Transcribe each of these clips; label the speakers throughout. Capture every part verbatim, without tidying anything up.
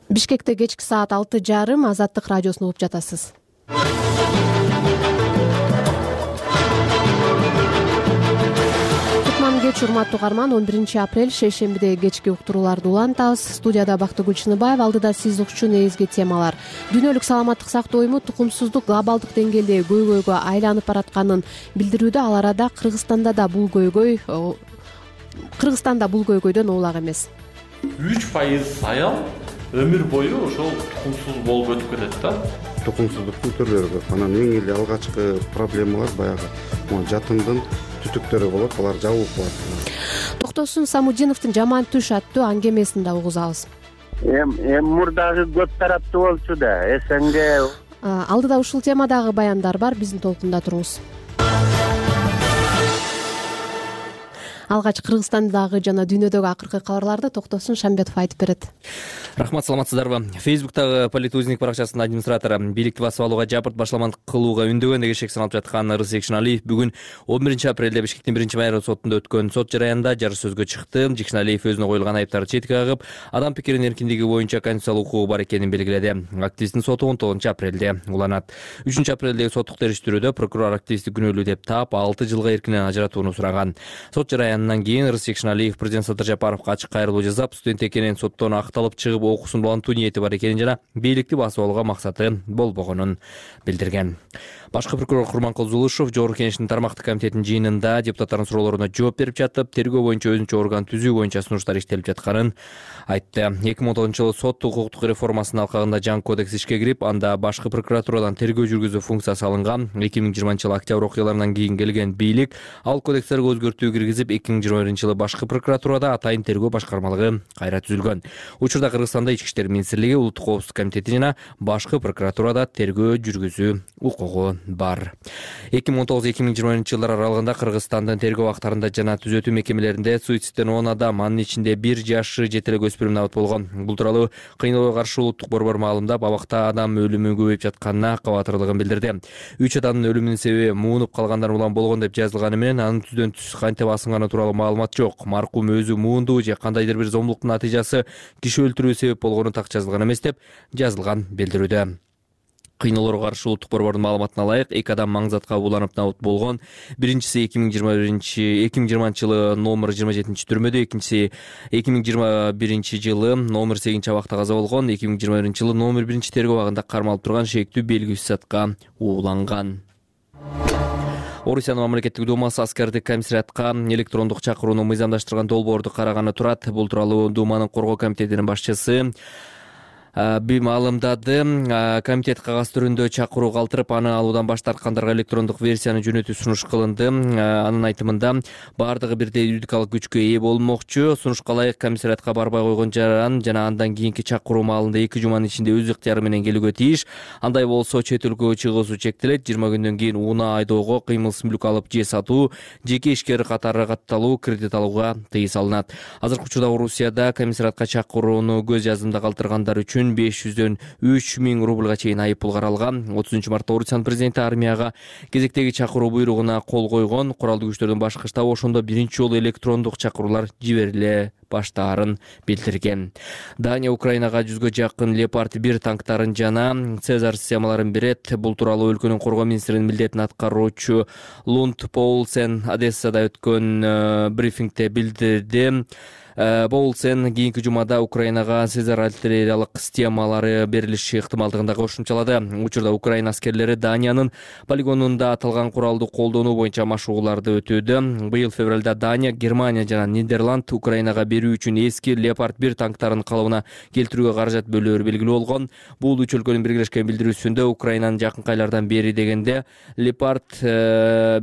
Speaker 1: Бишкекте кечки саат алты жарым Азаттык радиосун угуп жатасыз. Кутман кеч, урматтуу угарман. он биринчи апрель шейшембиде кечки уктурууларды улантабыз. Студияда Бактыгүл Чыныбаева, алдыда сиз укчу негизги темалар. Дүйнөлүк саламаттык сактоо уюму тукумсуздук глобалдык деңгээлде көйгөйгө айланып баратканын билдирүүдө. Ал арада Кыргызстанда да бул көйгөй Кыргызстанда бул көйгөйдөн улак эмес.
Speaker 2: үч пайыз аял өмүр бою ошол тукумсуз болуп өтүп кетет да.
Speaker 3: Тукумсуздуктун түрлөрү көп. Анан эң эле алгачкы проблемалар баягы жатындын түтүктөрү болот, алар жабылып калат.
Speaker 1: Токтосун Самудиновдун Жаман түш аттуу аңгемесин да угузабыз.
Speaker 4: Эм эм мурдагы көп тараптуу болчу да, СНГ.
Speaker 1: Алдыда ушул темадагы баяндар бар, биздин толкунда туруңуз. Алгач Кыргызстандагы жана дүйнөдөгү акыркы кабарларды Токтосун Шамбетов айтып берет.
Speaker 5: Рахмат, саламатсыздарбы? Фейсбуктагы Политузник баракчасынын администратору бийликти басып алууга, жабырт башаламандык кылууга үндөгөн деген шек саналып жаткан Рысек Шыналиев бүгүн он биринчи апрелде Бишкектин биринчи майра сотунда өткөн сот жараянында жары сөзгө чыкты. Жекшеналиев өзүнө коюлган айыптарды четке кагып, адам пикиринин эркиндиги боюнча конституциялык укугу бар экенин белгиледи. Активисттин соту он тогузунчу апрелде уланат. үчүнчү апрелдеги соттук териштирүүдө прокурор активистти күнөөлүү деп таап, алты жылга эркинен ажыратууну сураган. Сот жараянынан кийин Рысек Шыналиев президент Садыр Жапаровго ачык кайрылуу жасап, студент экенин, соттон акталып чыгып окуусун улантуу ниети бар экенин жана бийликти басып алууга максаты болбогонун билдирген. Башкы прокурор Курманкул Зулушев Жогорку Кеңештин тармактык комитетинин жыйынында депутаттардын суроолоруна жооп берип жатып, тергөө боюнча өзүнчө орган түзүү боюнча сунуштар иштелип жатканын айтты. эки миң он тогузунчу жылы сот укуктук реформасынын алкагында жаңы кодекс ишке кирип, анда башкы прокуратурадан тергөө жүргүзүү функциясы алынган. эки миң жыйырманчы жылы октябрь окуяларынан кийин келген бийлик ал кодекстерге өзгөртүү киргизип, эки миң жыйырма биринчи жылы башкы прокуратурада атайын тергөө башкармалыгы кайра түзүлгөн. Учурда Кыргызстанда Ички иштер министрлиги, Улуттук коопсуздук комитети жана башкы прокуратурада тергөө жүргүзүү укугу бар. эки миң он тогуз эки миң жыйырма биринчи жылдар аралыгында Кыргызстандын тергөө абактарында жана түзөтүү мекемелеринде суицидтен он адам, анын ичинде бир жашы жете элек өспүрүм набат болгон. Бул тууралуу Кыйноого каршы улуттук борбор маалымдап, абакта адам өлүмү көбөйүп жатканына кабатырлыгын билдирди. үч адамдын өлүмүнүн себеби муунуп калгандар улам болгон деп жазылганы менен, анын түздөн түз кантип асынганы тууралуу маалымат жок. Маркум өзү муунду же кандайдыр бир зомбулуктун натыйжасы киши өлтүрүүгө себеп болгону так жазылган эмес деп жазылган билдирүүдө. Кыйноолорго каршы улуттук борбордун маалыматына ылайык, эки адам маңзатка уланып набыт болгон. Биринчиси эки миң жыйырма биринчи эки миң жыйырманчы жылы номер жыйырма жетинчи түрмөдө, экинчиси эки миң жыйырма биринчи жылы номер сегизинчи абакта каза болгон. эки миң жыйырма биринчи жылы номер биринчи тергөө абагында кармалып турган шектүү белгисиз затка ууланган. Орусиянын мамлекеттик думасы аскердик комиссариатка электрондук чакырууну мыйзамдаштырган долбоорду караганы турат. Бул тууралуу Думанын коргоо комитетинин башчысы би маалымдады. Комитет кагаз түрүндө чакыруу калтырып, аны алуудан баш тарткандарга электрондук версияны жөнөтүү сунуш кылынды. Анын айтымында баардыгы бирдей юридикалык күчкө ээ болмокчу. Сунушка ылайык комиссариатка барбай койгон жаран жана андан кийинки чакыруу маалында эки жуманын ичинде өз ыктыяры менен келүүгө тийиш. Андай болсо чет өлкөгө чыгуусу чектелет. жыйырма күндөн кийин унаа айдоого, кыймылсыз мүлк алып же сатуу, жеке ишкер катары катталуу, кредит алууга тыйым салынат. Азыркы учурда Орусияда комиссариатка чакырууну көз жазымда калтыргандар үчүн беш жүздөн үч миң рубльга чейин айып пул каралган. отузунчу мартта Орусиянын президенти армияга кезектеги чакыруу буйругуна кол койгон. Куралдуу күчтөрдүн башкы штабы ошондо биринчи жолу электрондук чакыруулар жибериле баштаарын билдирген. Дания Украинага жүзгө жакын Леопард бир танктарын жана Цезар системаларын берет. Бул тууралуу өлкөнүн коргоо министринин милдетин аткаруучу Лунд Поулсен Одессада өткөн брифингде билдирди. Боулсен кийинки жумада Украинага Цезар артиллериялык системалары берилиши ыктымалдыгын кошумчалады. Учурда Украина аскерлери Даниянын полигонунда аталган куралды колдонуу боюнча машыгууларды өтүүдө. Быйыл февралда Дания, Германия жана Нидерланд Украинага берүү үчүн эски Леопард бир танктарын калыбына келтирүүгө каражат бөлөөрү белгилүү болгон. Бул үч өлкөнүн биргелешкен билдирүүсүндө Украинанын жакынкы айлардан бери дегенде Леопард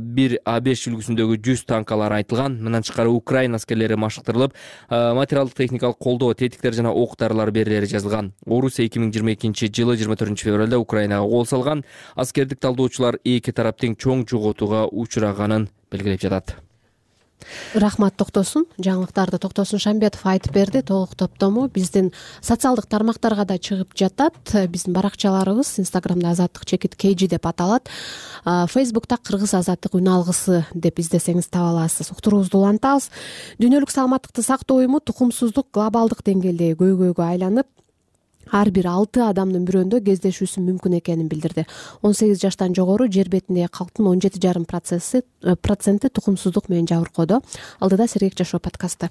Speaker 5: бир А беш үлгүсүндөгү жүз танкалары айтылган. Мындан тышкары Украина аскерлери машыктырылып, материалдык техникалык колдоо, тетиктер жана ок-дарылар берилери жазылган. Орусия эки миң жыйырма экинчи жылы жыйырма төртүнчү февралда Украинага кол салган. Аскердик талдоочулар эки тараптын чоң жоготууга учураганын белгилеп жатат.
Speaker 1: Рахмат, Токтосун. Жаңылыктарды Токтосун Шамбетов айтып берди. Толук топтому биздин социалдык тармактарга да чыгып жатат. Биздин баракчаларыбыз Инстаграмда Азаттык чекит кейжи деп аталат. Фейсбукта Кыргыз Азаттык үн алгысы деп издесеңиз таба аласыз. Уктуруубузду улантабыз. Дүйнөлүк саламаттыкты сактоо уюму тукумсуздук глобалдык деңгээлде көйгөйгө айланып ар бир алты адамдын бирөөндө кездешүүсү мүмкүн экенин билдирди. он сегиз жаштан жогору жер бетиндеги калктын он жети жарым проценти тукумсуздук менен жабыркоодо. Алдыда Сергек жашоо подкасты.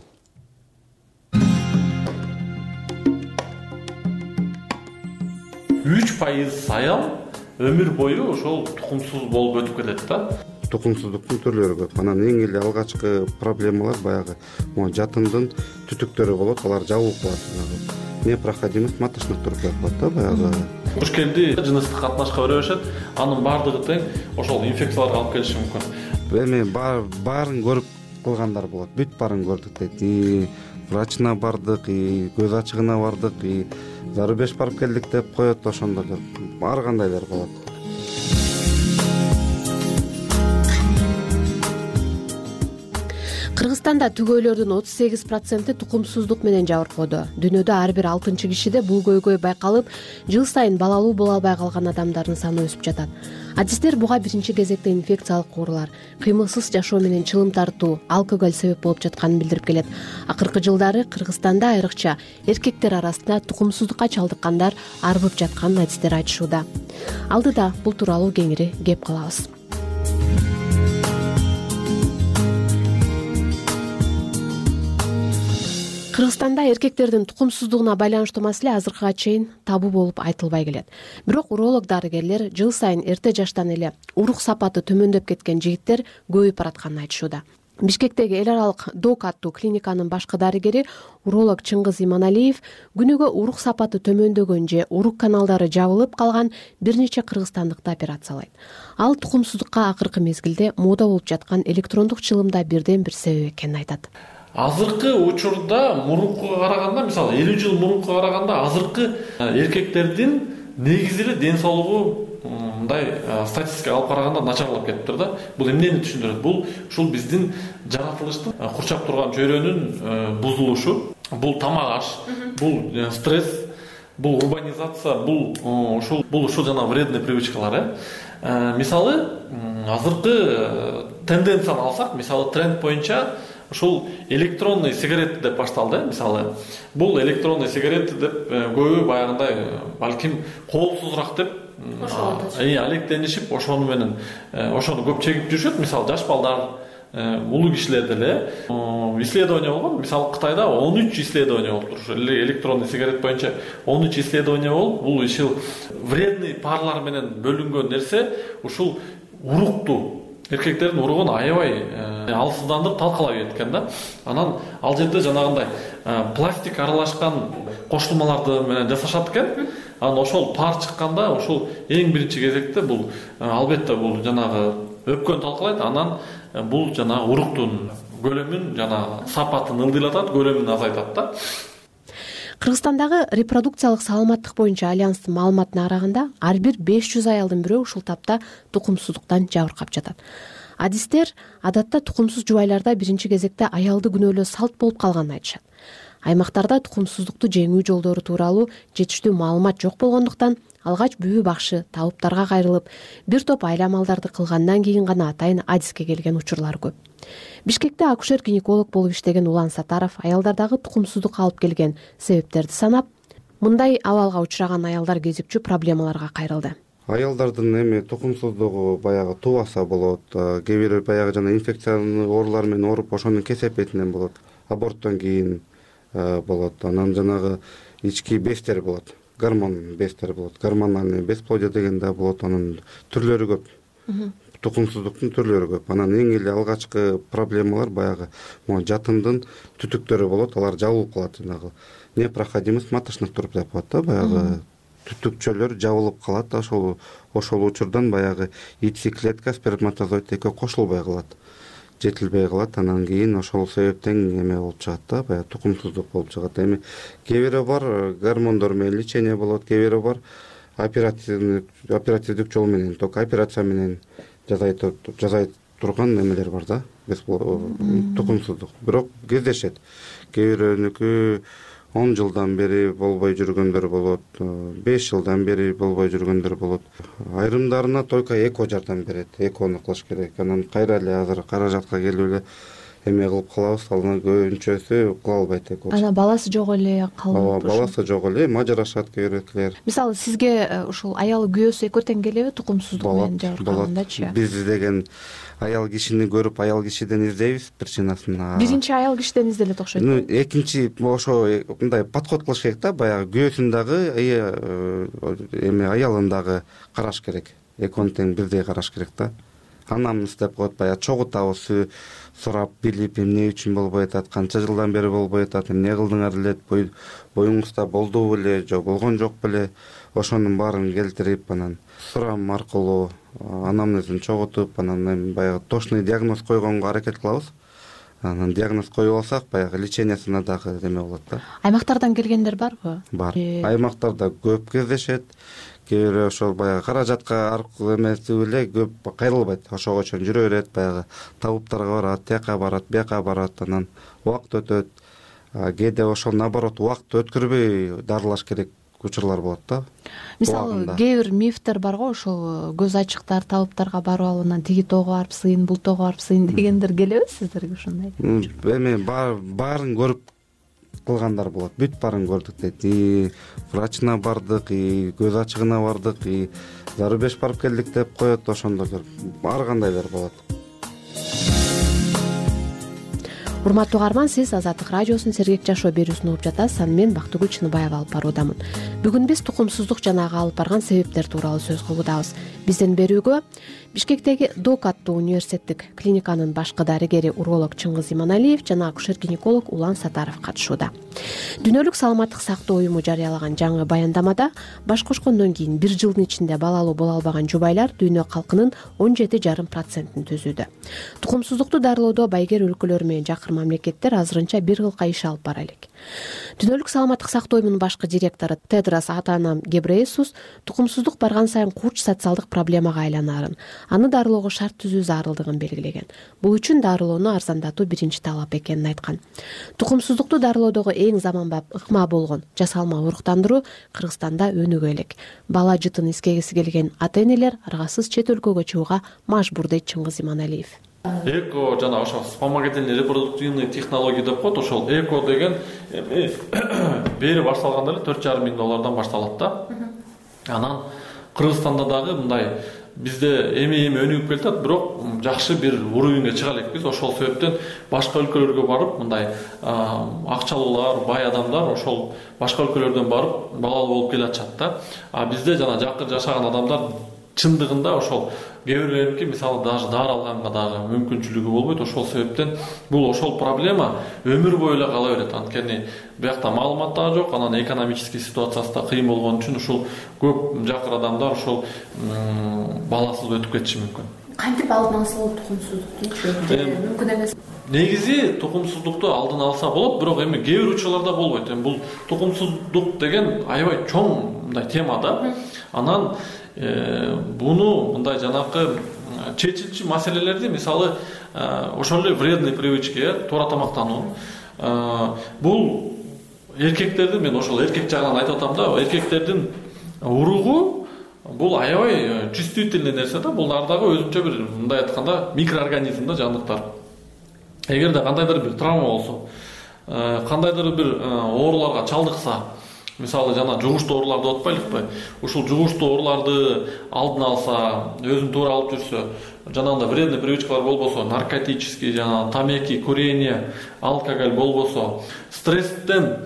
Speaker 2: үч пайыз аял өмүр бою ошол тукумсуз болуп өтүп кетет да.
Speaker 3: Тукумсуздуктун түрлөрү көп. Анан эң эле алгачкы проблемалар баягы могу жатындын түтүктөрү болот, алар жабылып калат. Непроходимость маточных труб болот да баягы.
Speaker 2: Куш келди, жыныстык катнашка бере башат, анын баардыгы тең ошол инфекцияларга алып келиши мүмкүн.
Speaker 3: Эми баарын көрүп кылгандар болот. Бүт баарын көрдүк дейт. И врачына бардык, и көз ачыгына бардык, и зарубеж барып келдик деп коет, ошондо ар кандайлар болот.
Speaker 1: Кыргызстанда түгөйлөрдүн отуз сегиз проценти тукумсуздук менен жабыркоодо. Дүйнөдө ар бир алтынчы кишиде бул көйгөй байкалып, жыл сайын балалуу боло албай калган адамдардын саны өсүп жатат. Адистер буга биринчи кезекте инфекциялык оорулар, кыймылсыз жашоо менен чылым тартуу, алкоголь себеп болуп жатканын билдирип келет. Акыркы жылдары Кыргызстанда айрыкча эркектер арасында тукумсуздукка чалдыккандар арбып жатканын адистер айтышууда. Алдыда бул тууралуу кеңири кеп калабыз. Кыргызстанда эркектердин тукумсуздугуна байланыштуу маселе азыркыга чейин табу болуп айтылбай келет. Бирок уролог дарыгерлер жыл сайын эрте жаштан эле урук сапаты төмөндөп кеткен жигиттер көбөйүп баратканын айтышууда. Бишкектеги эл аралык док аттуу клиниканын башкы дарыгери уролог Чыңгыз Иманалиев күнүгө урук сапаты төмөндөгөн же урук каналдары жабылып калган бир нече кыргызстандыкты операциялайт. Ал тукумсуздукка акыркы мезгилде мода болуп жаткан электрондук чылымда бирден бир себеп экенин айтат.
Speaker 2: Азыркы учурда мурункуга караганда, мисалы элүү жыл мурункуга караганда азыркы эркектердин негизи эле ден соолугу мындай статистикага алып караганда начарлап кетиптир да. Бул эмнени түшүндүрөт? Бул ушул биздин жаратылыштын курчап турган чөйрөнүн бузулушу, бул тамак аш, бул стресс, бул урбанизация, бул ушул бул ушул жана вредный привычкалар. Мисалы азыркы тенденцияны алсак, мисалы тренд боюнча ушул электронный сигарет деп башталды. Мисалы бул электронный сигарет деп көбү баягындай балким коопсузураак деп алектенишип ошону менен ошону көп чегип жүрүшөт. Мисалы жаш балдар, улуу кишилер деле исследование болгон. Мисалы Кытайда он үч исследование болуптур. Ошо электронный сигарет боюнча он үч исследование болуп, бул ушул вредный парлар менен бөлүнгөн нерсе ушул урукту, эркектердин уругун аябай алсыздандырып талкалай кеткен да. Анан ал жерде жанагындай пластик аралашкан кошулмаларды менен жасашат экен. Анан ошол пар чыкканда ошол эң биринчи кезекте бул албетте бул жанагы өпкөнү талкалайт. Анан бул жанагы уруктун көлөмүн, жана сапатын ылдыйлатат, көлөмүн азайтат да.
Speaker 1: Кыргызстандагы репродукциялык саламаттык боюнча альянстын маалыматына караганда, ар бир беш жүз аялдын бирөө ушул тапта тукумсуздуктан жабыркап жатат. Адистер адатта тукумсуз жубайларда биринчи кезекте аялды күнөөлөө салт болуп калганын айтышат. Аймактарда тукумсуздукту жеңүү жолдору тууралуу жетиштүү маалымат жок болгондуктан алгач бүбү бакшы табыптарга кайрылып, бир топ айла амалдарды кылгандан кийин гана атайын адиске келген учурлар көп. Бишкекте акушер-гинеколог болуп иштеген Улан Сатаров аялдардагы тукумсуздукка алып келген себептерди санап, мындай абалга учураган аялдар кезикчү проблемаларга кайрылды.
Speaker 3: Аялдардын эми тукумсуздугу баягы тубаса болот, кээ бир баягы жана инфекциялык оорулар менен ооруп, ошонун кесепетинен болот, аборттон кийин болот. Анан жанагы ички безтер болот, гормон безтер болот, гормональный бесплодие деген да болот. Анын түрлөрү көп. Тукумсуздуктун түрлөрү көп. Анан эң эле алгачкы проблемалар баягы могу жатындын түтүктөрү болот, алар жабылып калат. Жанагы непроходимость маточных труб деп коет да, баягы түтүкчөлөр жабылып калат. Ошол ошол учурдан баягы яйцеклетка, сперматозоид экөө кошулбай калат, жетилбей калат. Анан кийин ошол себептен эме болуп чыгат да, баягы тукумсуздук болуп чыгат. Эми кээ бири бар гормондор менен лечение болот, кээ бири бар оперативдик оперативдик жол менен, только операция менен жазай жазай турган эмелер бар да, тукумсуздук. Бирок кездешет. Кээ бирөөнүкү он жылдан бери болбой жүргөндөр болот, беш жылдан бери болбой жүргөндөр болот. Айрымдарына только эко жардам берет, экону кылыш керек. Анан кайра эле азыр каражатка келип эле эме кылып калабыз, анан көбүнчөсү кыла албайт экен.
Speaker 1: Анан баласы жок эле калып.
Speaker 3: Ооба, баласы жок эле, мажырашат кээ бирөөлөр.
Speaker 1: Мисалы сизге ушул аялы күйөөсү экөө тең келеби тукумсуздук менен жабыркагандачы?
Speaker 3: Биз деген аял кишини көрүп аял кишиден издейбиз причинасын.
Speaker 1: Биринчи аял кишиден изделет окшойт.
Speaker 3: Ну, экинчи ошо мындай подход кылыш керек да, баягы күйөөсүн дагы эме аялын дагы караш керек. Экөөнү тең бирдей караш керек да. Анамыз деп коет, баягы чогултабыз, сурап билип, эмне үчүн болбой атат, канча жылдан бери болбой атат, эмне кылдыңар эле, боюңузда болдубу беле, жок болгон жок беле, ошонун баарын келтирип, анан сурам аркылуу анамнезин чогултуп, анан баягы точный диагноз койгонго аракет кылабыз. Анан диагноз коюп алсак, баягы лечениясына дагы эме болот да.
Speaker 1: Аймактардан келгендер барбы?
Speaker 3: Бар. Аймактарда көп кездешет. Кээ бирөө ошол баягы каражатка аркылуу эмеси эле көп кайрылбайт. Ошого чейин жүрө берет, баягы табыптарга барат, тияка барат, бияка барат, анан убакыт өтөт. Кээде ошол наоборот убакыт өткөрбөй дарылаш керек учурлар болот да.
Speaker 1: Мисалы, кээ бир мифтер бар го, ошол көз ачыктар табыптарга барып алып, анан тиги тоого барып сыйын, бул тоого барып сыйын дегендер келеби сиздерге ушундай?
Speaker 3: Эми баарын көрүп кылгандар болот. Бүт баарын көрдүк дейт. И врачына бардык, и көз ачыгына бардык, и зарубеж барып келдик деп коет, ошондойлор ар кандайлар болот.
Speaker 1: Урматтуу угарман, сиз Азаттык радиосунун Сергек жашоо берүүсүн угуп жатасыз. Аны мен Бактыгүл Чыныбаева алып баруудамын. Бүгүн биз тукумсуздук жана ага алып барган себептер тууралуу сөз кылуудабыз. Бизден берүүгө Бишкектеги ДОК аттуу университеттик клиниканын башкы дарыгери уролог Чыңгыз Иманалиев жана акушер-гинеколог Улан Сатаров катышууда. Дүйнөлүк саламаттык сактоо уюму жарыялаган жаңы баяндамада баш кошкондон кийин бир жылдын ичинде балалуу боло албаган жубайлар дүйнө калкынын он жети жарым процентин түзүүдө. Тукумсуздукту дарылоодо байгер өлкөлөр менен жакыр мамлекеттер азырынча бир кылка иш алып бара элек. Дүйнөлүк саламаттык сактоо уюмунун башкы директору Тедрос Атанам Гебрейсус тукумсуздук барган сайын курч социалдык проблемага айланаарын, аны дарылоого шарт түзүү зарылдыгын белгилеген. Бул үчүн дарылоону арзандатуу биринчи талап экенин айткан. Тукумсуздукту дарылоодогу эң заманбап ыкма болгон жасалма уруктандыруу Кыргызстанда өнүгө элек. Бала жытын искегиси келген ата-энелер аргасыз чет өлкөгө чыгууга мажбур дейт Чыңгыз Иманалиев.
Speaker 2: Эко жана ошо вспомогательный репродуктивный технология деп коет. Ошол эко деген бери башталганда эле төрт жарым миң доллардан башталат да. Анан Кыргызстанда дагы мындай бизде эми-эми өнүгүп келатат, бирок жакшы бир уровеньге чыга элекпиз. Ошол себептен башка өлкөлөргө барып, мындай акчалуулар, бай адамдар ошол башка өлкөлөрдөн барып балалуу болуп келатышат да. А бизде жана жакыр жашаган адамдар чындыгында ошол кээ бирлериники мисалы даже дары алганга дагы мүмкүнчүлүгү болбойт. Ошол себептен бул ошол проблема өмүр бою эле кала берет. Анткени биякта маалымат да жок, анан экономический ситуациясы да кыйын болгон үчүн ушул көп жакыр адамдар ошол баласыз өтүп кетиши мүмкүн.
Speaker 1: Кантип алдын алса болот тукумсуздукту? Мүмкүн эмес.
Speaker 2: Негизи тукумсуздукту алдын алса болот, бирок эми кээ бир учурларда болбойт. Эми бул тукумсуздук деген аябай чоң мындай тема да. Анан буну мындай жанакы чечилчү маселелерди мисалы ошол эле вредный привычки, туура тамактануу. Бул эркектердин, мен ошол эркек жагынан айтып атам да, эркектердин уругу бул аябай чувствительный нерсе да. Булар дагы өзүнчө бир мындай айтканда микроорганизм да, жандыктар. Эгерде кандайдыр бир травма болсо, кандайдыр бир ооруларга чалдыкса, мисалы жана жугуштуу ооруларды деп атпайлыкпы? Ушул жугуштуу ооруларды алдын алса, өзүн туура алып жүрсө, жанагындай вредный привычкалар болбосо, наркотический, жана тамеки, курение, алкоголь болбосо, стресстен,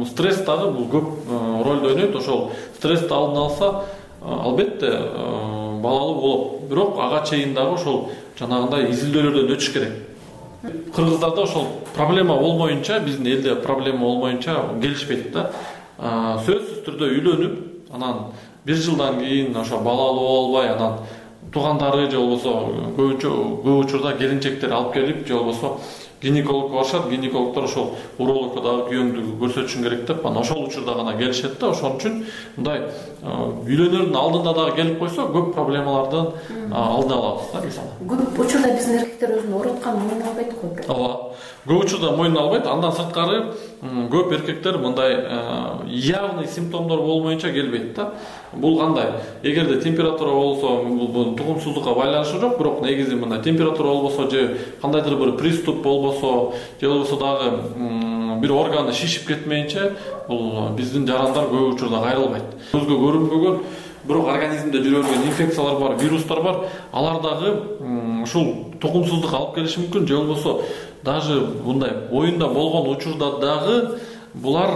Speaker 2: стресс дагы бул көп ролду ойнойт. Ошол стрессти алдын алса, албетте балалуу болот. Бирок ага чейин дагы ошол жанагындай изилдөөлөрдөн өтүш керек. Кыргыздарда ошол проблема болмоюнча, биздин элде проблема болмоюнча келишпейт да. Сөзсүз түрдө үйлөнүп, анан бир жылдан кийин ошо балалуу болбой, анан туугандары же болбосо көбүнчө көп учурда келинчектер алып келип, же болбосо гинекологко барышат. Гинекологдор ошол урологко дагы күйөөңдү көрсөтүшүң керек деп, анан ошол учурда гана келишет да. Ошон үчүн мындай үйлөнөрдүн алдында дагы келип койсо, көп проблемалардын алдын алабыз да, мисалы.
Speaker 1: Көп учурда биздин эркектер өзүн ооруткан мойнуна албайт го.
Speaker 2: Ооба. Көп учурда мойнуна албайт. Андан сырткары көп эркектер мындай явный симптомдор болмоюнча келбейт да. Бул кандай? Эгерде температура болсо, бул тукумсуздукка байланышы жок, бирок негизи мындай температура болбосо же кандайдыр бир приступ болбосо, болбосо же болбосо дагы бир органы шишип кетмейинче бул биздин жарандар көп учурда кайрылбайт. Көзгө көрүнбөгөн бирок организмде жүрө берген инфекциялар бар, вирустар бар. Алар дагы ушул тукумсуздук алып келиши мүмкүн, же болбосо даже мындай боюнда болгон учурда дагы булар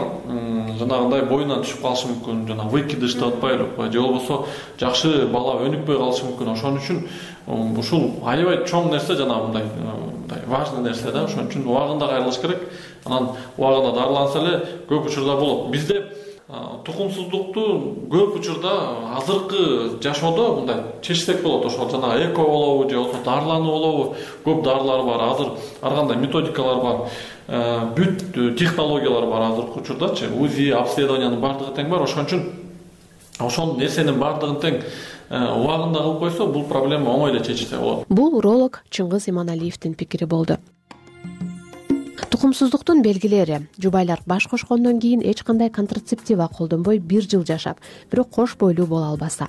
Speaker 2: жанагындай боюнан түшүп калышы мүмкүн, жана выкидыш деп атпайлыкпы, же болбосо жакшы бала өнүкпөй калышы мүмкүн. Ошон үчүн ушул аябай чоң нерсе, жана мындай мындай важный нерсе да. Ошон үчүн убагында кайрылыш керек. Анан убагында дарыланса эле көп учурда болот. Бизде тукумсуздукту көп учурда азыркы жашоодо мындай чечсек болот. Ошол жана эко болобу же болбосо дарылануу болобу, көп дарылар бар. Азыр ар кандай методикалар бар. Бүт технологиялар бар азыркы учурдачы. УЗИ, обследованиянын баардыгы тең бар. Ошон үчүн ошол нерсенин баардыгын тең убагында кылып койсо, бул проблема оңой эле чечилсе болот.
Speaker 1: Бул уролог Чыңгыз Иманалиевдин пикири болду. Тукумсуздуктун белгилери: жубайлар баш кошкондон кийин эч кандай контрацептива колдонбой бир жыл жашап, бирок кош бойлуу боло албаса,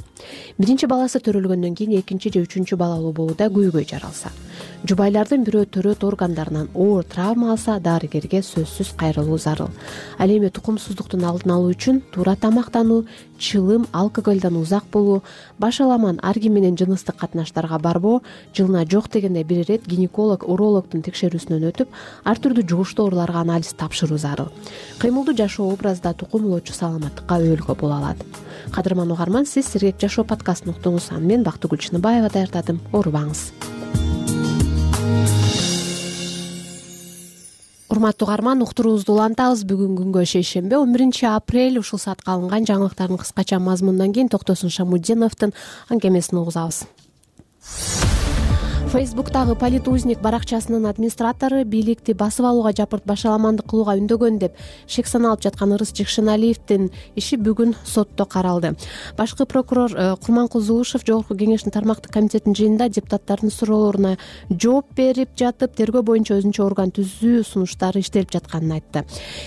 Speaker 1: биринчи баласы төрөлгөндөн кийин экинчи же үчүнчү балалуу болууда көйгөй жаралса, жубайлардын бирөө төрөт органдарынан оор травма алса, дарыгерге сөзсүз кайрылуу зарыл. Ал эми тукумсуздуктун алдын алуу үчүн туура тамактануу, чылым, алкоголдон узак болуу, баш аламан арги менен жыныстык катнаштарга барбоо, жылына жок дегенде бир ирет гинеколог, урологдун текшерүүсүнөн өтүп, ар түрдүү жугуштуу ооруларга анализ тапшыруу зарыл. Кыймылдуу жашоо образда тукумулоочу саламаттыкка өбөлгө боло алат. Кадырман угарман, сиз Сергек жашоо подкастын уктуңуз. Мен Бактыгүл Чыныбаева даярдадым. Оорубаңыз. Урматтуу угарман, уктуруубузду улантабыз. Бүгүн күнгө шейшембе, он биринчи апрель. Ушул саатка алынган жаңылыктардын кыскача мазмунунан кийин Токтосун Шамудиновдун аңгемесин угузабыз. Фейсбуктагы Политузник баракчасынын администратору бийликти басып алууга жапырт башаламандык кылууга үндөгөн деп шек саналып жаткан Ырыс Жекшеналиевдин иши бүгүн сотто каралды. Башкы прокурор Курманкул Зулушев Жогорку Кеңештин тармактык комитетинин жыйынында депутаттардын суроолоруна жооп берип жатып, тергөө боюнча өзүнчө орган түзүү сунуштары иштелип жатканын айтты.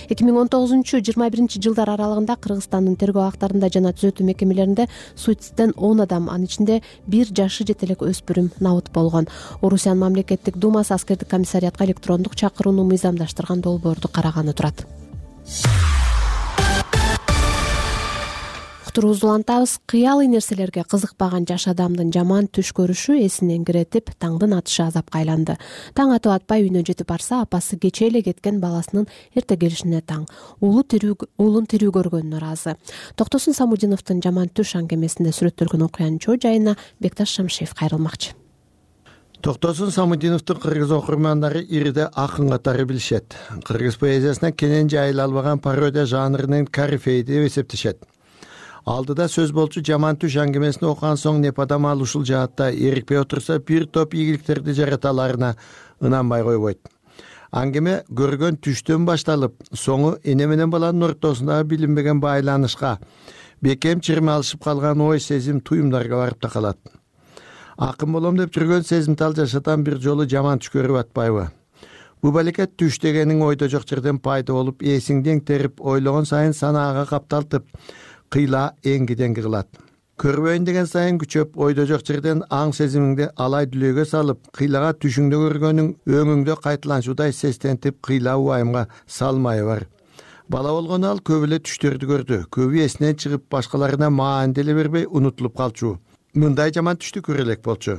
Speaker 1: эки миң он тогузунчу жыйырма биринчи жылдар аралыгында Кыргызстандын тергөө актарында жана түзөтүү мекемелеринде суицидтен он адам, анын ичинде бир жашы жете элек өспүрүм набыт болгон. Орусиянын мамлекеттик думасы аскердик комиссариатка электрондук чакырууну мыйзамдаштырган долбоорду караганы турат. Уктуруубузду улантабыз. Кыялый нерселерге кызыкпаган жаш адамдын жаман түш көрүшү эсинен киретип, таңдын атышы азапка айланды. Таң атып атпай үйүнө жетип барса, апасы кечээ эле кеткен баласынын эрте келишине таң. Уулу тирүү, уулун тирүү көргөнүнө ыраазы. Токтосун Самудиновдун жаман түш аңгемесинде сүрөттөлгөн окуянын чоо жайына Бекташ Шамшиев кайрылмакчы.
Speaker 6: Токтосун Самудиновдун кыргыз окурмандары ириде акын катары билишет. Кыргыз поэзиясына кенен жайыла албаган пародия жанрынын корифейи деп эсептешет. Алдыда сөз болчу жаман түш аңгемесин окуган соң Непадамал ушул жаатта эрикпей отурса, бир топ ийгиликтерди жарата аларына ынанбай койбойт. Аңгеме көргөн түштөн башталып, соңу эне менен баланын ортосундагы билинбеген байланышка, бекем чирме алышып калган ой, сезим, туюмдарга барып такалат. Акын болом деп жүргөн сезимтал жашатан бир жолу жаман түш көрүп атпайбы? Бу балекет түш дегениң ойдо жок жерден пайда болуп, эсиңден терип, ойлогон сайын санаага капталтып, кыйла эңги-деңги кылат. Көрбөйүн деген сайын күчөп, ойдо жок жерден аң сезимиңди алай дүлөйгө салып, кыйлага түшүңдө көргөнүң өңүңдө кайталанчудай сестентип, кыйла убайымга салмайы бар. Бала болгону ал көп эле түштөрдү көрдү. Көбү эсинен чыгып, башкаларына маани деле бербей унутулуп калчу. Мындай жаман түштү көрө элек болчу.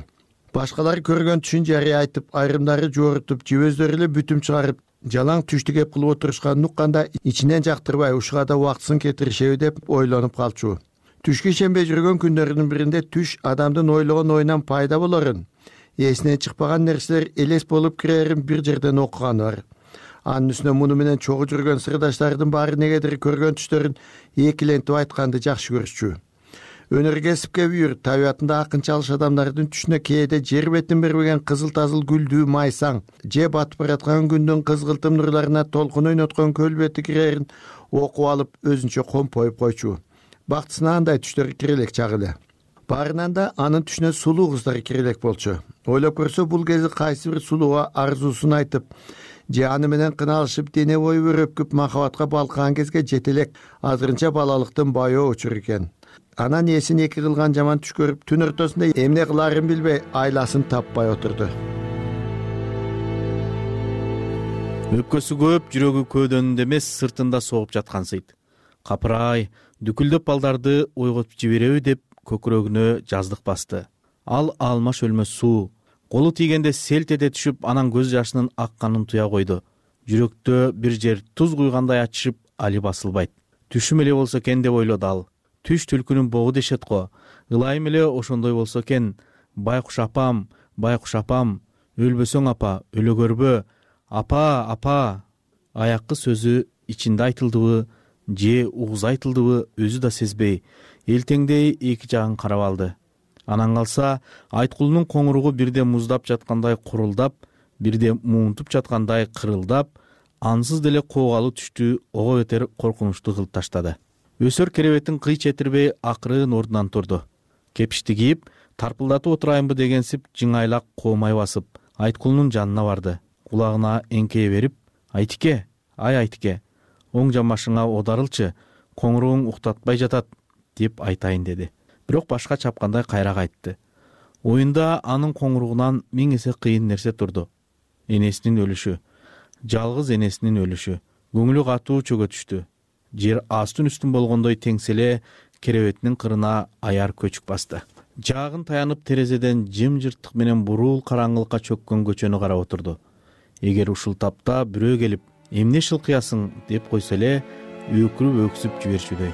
Speaker 6: Башкалар көргөн түшүн жарыя айтып, айрымдары жоорутуп, жибөздөрү эле бүтүм чыгарып, жалаң түштү кеп кылып отурушканын укканда ичинен жактырбай, ушуга да убактысын кетиришеби деп ойлонуп калчу. Түшкө ишенбей жүргөн күндөрүнүн биринде түш адамдын ойлогон оюнан пайда болорун, эсинен чыкпаган нерселер элес болуп кирерин бир жерден окуганы бар. Анын үстүнө муну менен чогуу жүргөн сырдаштардын баары негедир көргөн түштөрүн экилентип айтканды жакшы көрүшчү. Өнөр кесипке бүйүр, табиятында акынчалыш адамдардын түшүнө кээде жер бетин бербеген кызыл-тазыл гүлдүү майсаң, же батып бараткан күндүн кызгылтым нурларына толкун ойноткон көл бети кирерин окуп алып, өзүнчө компоюп койчу. Бактысына андай түштөр кирелек чагы эле. Баарынан да анын түшүнө сулуу кыздар кирелек болчу. Ойлоп көрсө, бул кези кайсы бир сулууга арзуусун айтып, же аны менен кыналышып, дене бою өрөпкүп махабатка балкыган кезге жетелек, азырынча балалыктын байоо учур экен. Анан эсин эки кылган жаман түш көрүп, түн ортосунда эмне кыларын билбей, айласын таппай отурду.
Speaker 7: Өпкөсү көп, жүрөгү көөдөнүндө эмес, сыртында согуп жаткансыйт. Капырай, дүкүлдөп балдарды ойготуп жибереби деп көкүрөгүнө жаздык басты. Ал алмаш өлмөс суу. Колу тийгенде селт эте түшүп, анан көз жашынын акканын туя койду. Жүрөктө бир жер туз куйгандай ачышып, али басылбайт. Түшүм эле болсо экен деп ойлоду ал. Түш түлкүнүн богу дешет го. Ылайым эле ошондой болсо экен. Байкуш апам, байкуш апам, өлбөсөң апа, өлө көрбө. Апа, апа. Аяккы сөзү ичинде айтылдыбы, же угуз айтылдыбы, өзү да сезбей, элтеңдей эки жагын карап алды. Анан калса, Айткулунун коңуругу бирде муздап жаткандай курулдап, бирде муунтуп жаткандай кырылдап, ансыз деле коогалуу түштү ого бетер коркунучтуу кылып таштады. Өсөр керебетин кый четирбей акырын ордунан турду. Кепишти кийип, тарпылдатып отурайынбы дегенсип жыңайлак коомай басып, Айткулунун жанына барды. Кулагына эңкейе берип: "Айтике, ай Айтике, оң жамбашыңа одарылчы, коңуругуң уктатпай жатат" деп айтайын деди. Бирок башка чапкандай кайра кайтты. Оюнда анын коңуругунан миң эсе кыйын нерсе турду. Энесинин өлүшү, жалгыз энесинин өлүшү. Көңүлү катуу чөгө түштү. Жер астын үстүн болгондой теңселе керебетинин кырына аяр көчүк басты. Жаагын таянып терезеден жымжырттык менен бурул караңгылыкка чөккөн көчөнү карап отурду. Эгер ушул тапта бирөө келип "Эмне шылкыясың" деп койсо эле өкүрүп өксүп жиберчүдөй.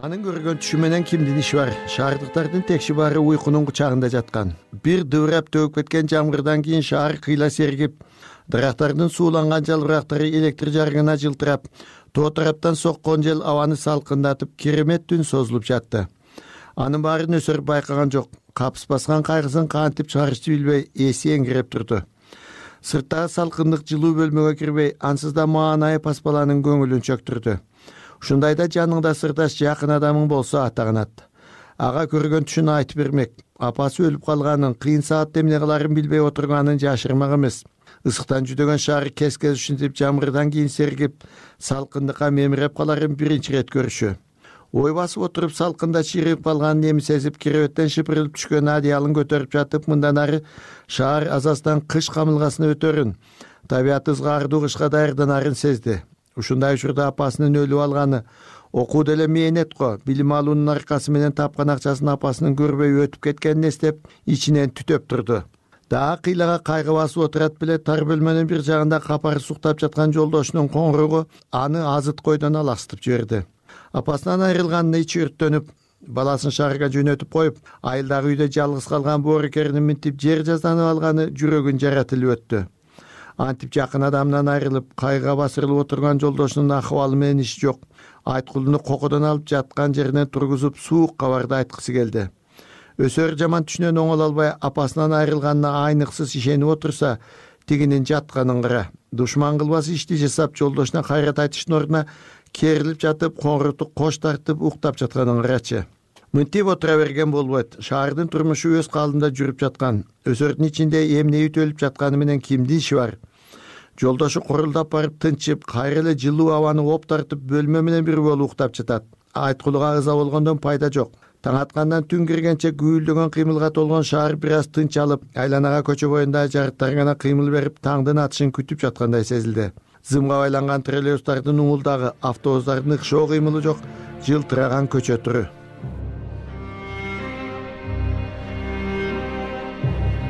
Speaker 6: Анын көргөн түшү менен кимдин иши бар? Шаардыктардын текши баары уйкунун кучагында жаткан. Бир дыбырап төгүп кеткен жамгырдан кийин шаар кыйла сергип, дарактардын сууланган жалбырактары электр жарыгына жылтырап, тоо тараптан соккон жел абаны салкындатып, керемет түн созулуп жатты. Анын баарын Өсөр байкаган жок. Капыс баскан кайгысын кантип чыгарышты билбей, эси эңиреп турду. Сырттагы салкындык жылуу бөлмөгө кирбей, ансыз да маанайы пас баланын көңүлүн чөктүрдү. Ушундайда жаныңда сырдаш жакын адамың болсо атаганат. Ага көргөн түшүн айтып бермек. Апасы өлүп калганын, кыйын саатта эмне кыларын билбей отурганын жашырмак эмес. Исыктан жүдөгөн шаар кес-кес ушинтип жамгырдан кийин сергип, салкындыкка мемиреп каларын биринчи ирет көрүшү. Ой басып отуруп салкында чиригип калганын эми сезип, керебеттен шыпырылып түшкөн адыялын көтөрүп жатып, мындан ары шаар азастан кыш камылгасына өтөрүн, табият ызгаардуу кышка даярданарын сезди. Ушундай учурда апасынын өлүп алганы, окуу деле мээнет го, билим алуунун аркасы менен тапкан акчасын апасынын көрбөй өтүп кеткенин эстеп, ичинен түтөп турду. Дагы кыйлага кайгы басып отурат беле, тар бөлмөнүн бир жагында капары суктап жаткан жолдошунун коңуругу аны азыткойдон аластып жиберди. Апасынан айрылганына ичи өрттөнүп, баласын шаарга жөнөтүп коюп, айылдагы үйдө жалгыз калган боорукеринин минтип жер жазданып алганы жүрөгүн жаратылып өттү. Антип жакын адамынан айрылып, кайгыга басырылып отурган жолдошунун акыбалы менен иши жок. Айткулуну кокодон алып жаткан жеринен тургузуп, суук кабарды айткысы келди. Өсөр жаман түшүнөн оңоло албай, апасынан айрылганына айныксыз ишенип отурса, тигинин жатканын кара. Душман кылбас ишти жасап, жолдошуна кайрат айтыштын ордуна керилип жатып, коңгурту кош тартып уктап жатканын карачы. Мынтип отура берген болбойт. Шаардын турмушу өз калдында жүрүп жаткан. Өсөрдүн ичинде эмне ütөлүп жатканы менен кимдин иши бар? Жолдошу курулдап барып тынчып, кайра эле жылуу абаны оп тартып, бөлмө менен бир болуп уктап жатат. Айткулуга ыза болгондон пайда жок. Таң аткандан түн киргенче гүйүлдөгөн кыймылга толгон шаар бир аз тынч алып, айланага көчө боюнда жарыктар гана кыймыл берип, таңдын атышын күтүп жаткандай сезилди. Зымга байланган троллейбустардын уңулдагы, автобустардын ыкшоо кыймылы жок, жылтыраган көчө туру.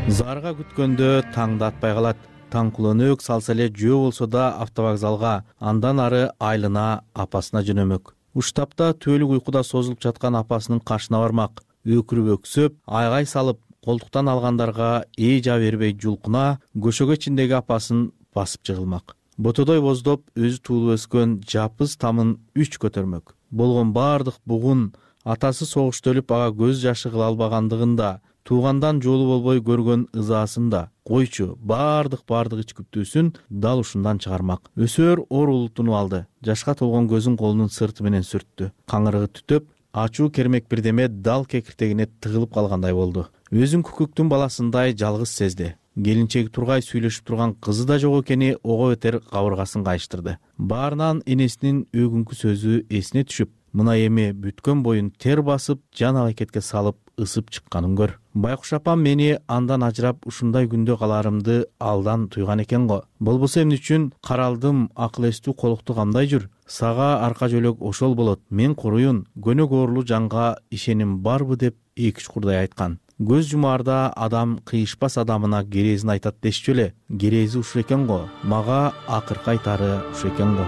Speaker 7: Зарга күткөндө таңда атпай калат. Таң кулөнөк салса эле жөө болсо да автовокзалга, андан ары айылына, апасына жөнөмөк. Уштапта түөлүк уйкуда созулуп жаткан апасынын кашына бармак. Өкүрүп өксөп, айгай салып, колтуктан алгандарга ээ жаа бербей жулкуна, көшөгө ичиндеги апасын басып жыгылмак. Ботодой боздоп, өзү туулуп өскөн жапыз тамын үч көтөрмөк. Болгон баардык бугун, атасы согушта өлүп ага көз жашы кыла албагандыгын да, туугандан жолу болбой көргөн ызаасын да, койчу, баардык баардык ич күптүүсүн дал ушундан чыгармак. Өсөр оор улутунуп алды. Жашка толгон көзүн колунун сырты менен сүрттү. Каңырыгы түтөп, ачуу кермек бирдеме дал кекиртегине тыгылып калгандай болду. Өзүн күкүктүн баласындай жалгыз сезди. Келинчеги тургай сүйлөшүп турган кызы да жок экени ого бетер кабыргасын кайыштырды. Баарынан энесинин өгүнкү сөзү эсине түшүп, мына эми бүткөн боюн тер басып, жан алакетке салып ысып чыкканын көр. Байкуш апам мени андан ажырап ушундай күндө каларымды алдан туйган экен го. Болбосо эмне үчүн каралдым, акыл эстүү колукту камдай жүр. Сага арка жөлөк ошол болот. Мен коруюн, көнөк оорлуу жанга ишеним барбы деп эки чукурдай айткан. Көз жумаарда адам кыйышпас адамына керезин айтат дешчү эле. Керези ушул экен го. Мага акыркы айтары ушул экен го.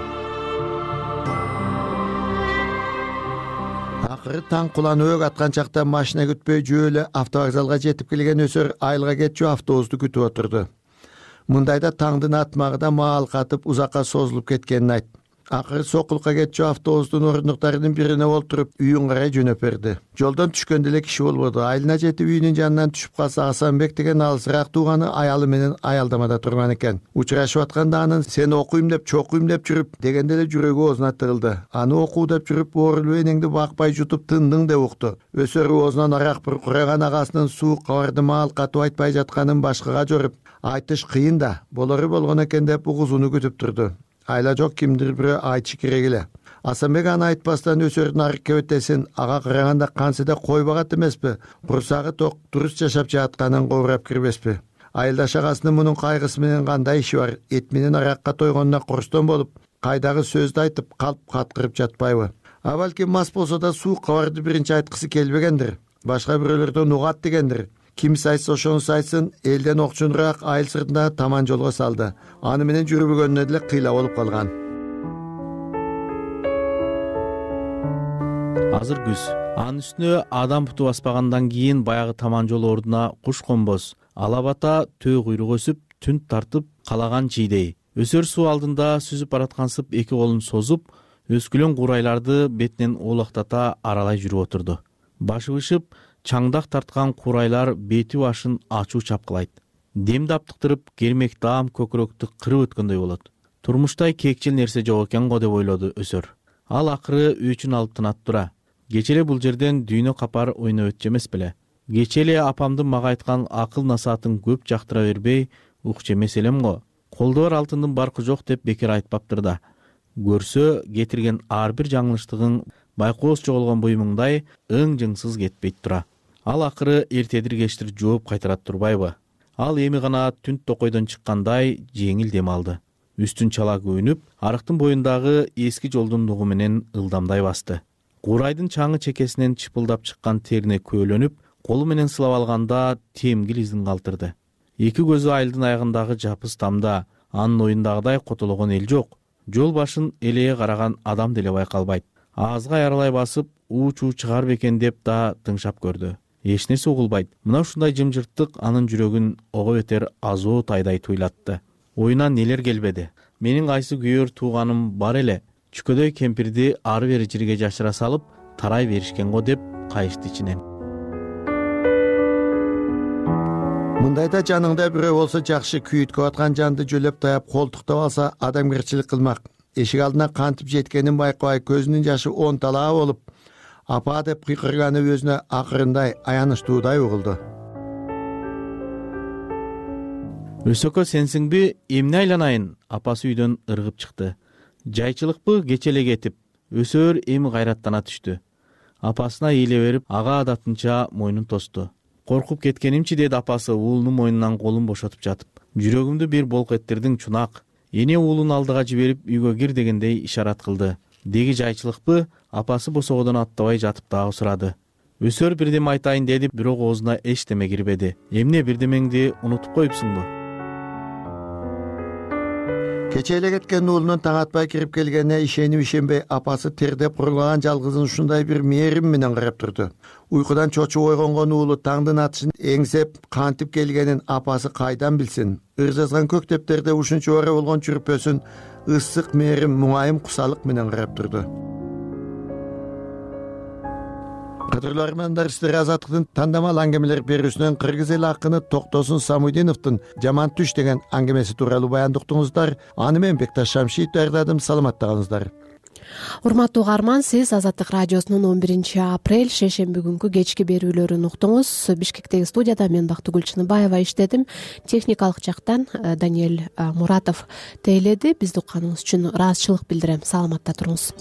Speaker 6: Акыры таң кулан өк аткан чакта машина күтпөй жөө автовокзалга жетип келген өсөр айылга кетчү автобусту күтүп отурду. Мындайда таңдын атмагы да маал катып узакка созулуп кеткенин айтты. Акыры Сокулка кетчү автобустун орундуктарынын бирине олтуруп үйүн карай жөнөп берди. Жолдон түшкөндө эле киши болбоду. Айылына жетип үйүнүн жанынан түшүп калса Асанбек деген алысыраак тууганы аялы менен аялдамада турган экен. Учурашып атканда анын сени окуйм деп чокуйм деп жүрүп дегенде эле жүрөгү оозуна тыгылды. Аны окуу деп жүрүп оорулуу энеңди бакпай жутуп тындың деп укту. Өсөр оозунан арак буркураган агасынын суук кабарды маал катып айтпай жатканын башкага жоруп, айтыш кыйын да, болору болгон экен деп угузуну күтүп турду. Айла жок кимдир бирөө айтышы керек эле. Асанбек аны айтпастан өсөрдүн арык кебетесин ага караганда кансыда кой багат эмеспи? Курсагы ток туруз жашап жатканын кобурап кирбеспи? Айылдаш агасынын мунун кайгысы менен кандай иши бар? Эт менен аракка тойгонуна курстон болуп, кайдагы сөздү айтып калп каткырып жатпайбы? А балким мас болсо да суук кабарды биринчи айткысы келбегендир. Башка бирөөлөрдөн угат дегендир. Кимси айтса ошонусу айтсын, элден окчунураак айыл сыртында таман жолго салды. Аны менен жүрбөгөнүнө деле кыйла болуп калган.
Speaker 7: Азыр күз. Анын үстүнө адам буту баспагандан кийин баягы таман жол ордуна куш конбос, алабата төө куйрук өсүп, түн тартып калаган чийдей. Өсөр суу алдында сүзүп бараткансып эки колун созуп, өскүлөн курайларды бетинен оолактата аралай жүрүп отурду. Башы бышып, чаңдак тарткан курайлар бети башын ачуу чапкылайт. Демди аптыктырып, кермек даам көкүрөктү кырып өткөндөй болот. Турмуштай кекчил нерсе жок экен го деп ойлоду өсөр. Ал акыры үчүн алып тынат тура. Кече эле бул жерден дүйнө капар ойноп өтчү эмес беле. Кече эле апамдын мага айткан акыл насаатын көп жактыра бербей укчу эмес элем го. Колдо бар алтындын баркы жок деп бекер айтпаптыр да. Көрсө кетирген ар бир жаңылыштыгың байкоос жоголгон буюмуңдай ың-жыңсыз кетпейт тура. Ал акыры эртедир кечтир жооп кайтарат турбайбы? Ал эми гана түнт токойдон чыккандай жеңил дем алды. Үстүн чала күйүнүп, арыктын боюндагы эски жолдун нугу менен ылдамдай басты. Курайдын чаңы чекесинен чыпылдап чыккан терине көөлөнүп, колу менен сылап алганда темгил изин калтырды. Эки көзү айылдын аягындагы жапыс тамда, анын оюндагыдай котологон эл жок. Жол башын элее караган адам деле байкалбайт. Аазга аяралай басып, уу-чуу чыгар бекен деп да тыңшап көрдү. Эч нерсе угулбайт. Мына ушундай жымжырттык анын жүрөгүн ого бетер азоо тайдай туйлатты. Оюна нелер келбеди. Менин кайсы күйөр тууганым бар эле. Чүкөдөй кемпирди ары бери жерге жашыра салып, тарай беришкен го деп кайышты ичинен.
Speaker 6: Мындайда жаныңда бирөө болсо жакшы, күйүткө аткан жанды жөлөп таяп колтуктап алса адамгерчилик кылмак. Эшик алдына кантип жеткенин байкабай көзүнүн жашы он талаа болуп, апа деп кыйкырганы өзүнө акырындай, аянычтуудай угулду.
Speaker 7: Өсөкө сенсиңби, эмне айланайын? Апасы үйдөн ыргып чыкты. Жайчылыкпы кече эле кетип, өсөр эми кайраттана түштү. Апасына эйле берип, ага адатынча мойнун тосту. Коркуп кеткенимчи деди апасы уулунун мойнунан колун бошотуп жатып. Жүрөгүмдү бир болк эттердиң чунак. Эне уулун алдыга жиберип үйгө кир дегендей ишарат кылды. Деги жайчылыкпы? Апасы босогодон аттабай жатып дагы сурады. Өсөр бирдеме айтайын деди, бирок оозуна эчтеме кирбеди. Эмне бирдемеңди унутуп коюпсуңбу?
Speaker 6: Кече эле кеткен уулунун таң атпай кирип келгенине ишенип ишенбей апасы тердеп курулган жалгызын ушундай бир мээрим менен карап турду. Уйкудан чочуп ойгонгон уулу таңдын атышын эңсеп кантип келгенин апасы кайдан билсин? Ыр жазган көктептерде ушунча ора болгон чүрпөсүн ысык мээрим муңайым кусалык менен карап турду. Кадырлуу армандар, сиздер Азаттыктын тандамал аңгемелер берүүсүнөн кыргыз эл акыны Токтосун Самудиновдун Жаман түш деген аңгемеси тууралуу баяндуктуңуздар. Аны мен Бекташ Шамшиев даярдадым. Саламатта калыңыздар.
Speaker 1: Урматтуу угарман, сиз Азаттык радиосунун он биринчи апрель шейшемби күнкү кечки берүүлөрүн уктуңуз. Бишкектеги студияда мен Бактыгүл Чыныбаева иштедим. Техникалык жактан Даниэль Муратов тейледи. Бизди укканыңыз үчүн ыраазычылык билдирем. Саламатта туруңуз.